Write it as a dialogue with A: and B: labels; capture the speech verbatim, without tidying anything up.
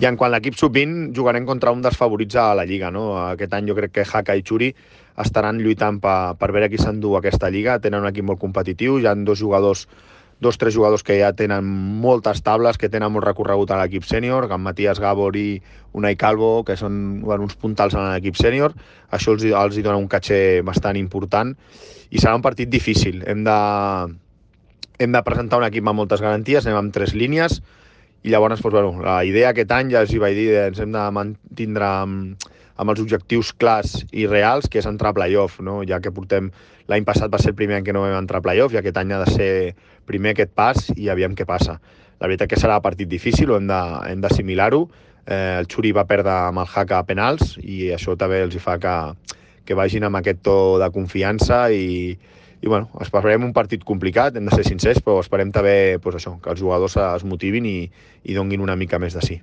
A: I en quant a l'equip sub vint, jugarem contra un dels favorits a la Lliga, no? Aquest any jo crec que Haka i Xuri estaran lluitant per, per veure qui s'endú aquesta Lliga. Tenen un equip molt competitiu, hi ha dos jugadors, dos tres jugadors que ja tenen moltes tables, que tenen molt recorregut a l'equip sènior, en Matías Gabor i Unai Calvo, que són bueno, uns puntals en l'equip sènior. Això els, els hi dona un caché bastant important i serà un partit difícil. Hem de, hem de presentar un equip amb moltes garanties, anem amb tres línies, i llavors, doncs, bueno, la idea aquest any, ja us hi vaig dir, ens hem de mantindre amb, amb els objectius clars i reals, que és entrar a playoff, no? Ja que portem, l'any passat va ser el primer any que no vam entrar a playoff, i aquest any ha de ser primer aquest pas i aviam què passa. La veritat que serà un partit difícil, hem d'assimilar-ho. Eh, el Xuri va perdre amb el Haka a penals i això també els fa que, que vagin amb aquest to de confiança i, i bueno, esperem un partit complicat, hem de ser sincers, però esperem també pues, això, que els jugadors es motivin i, i donguin una mica més de sí.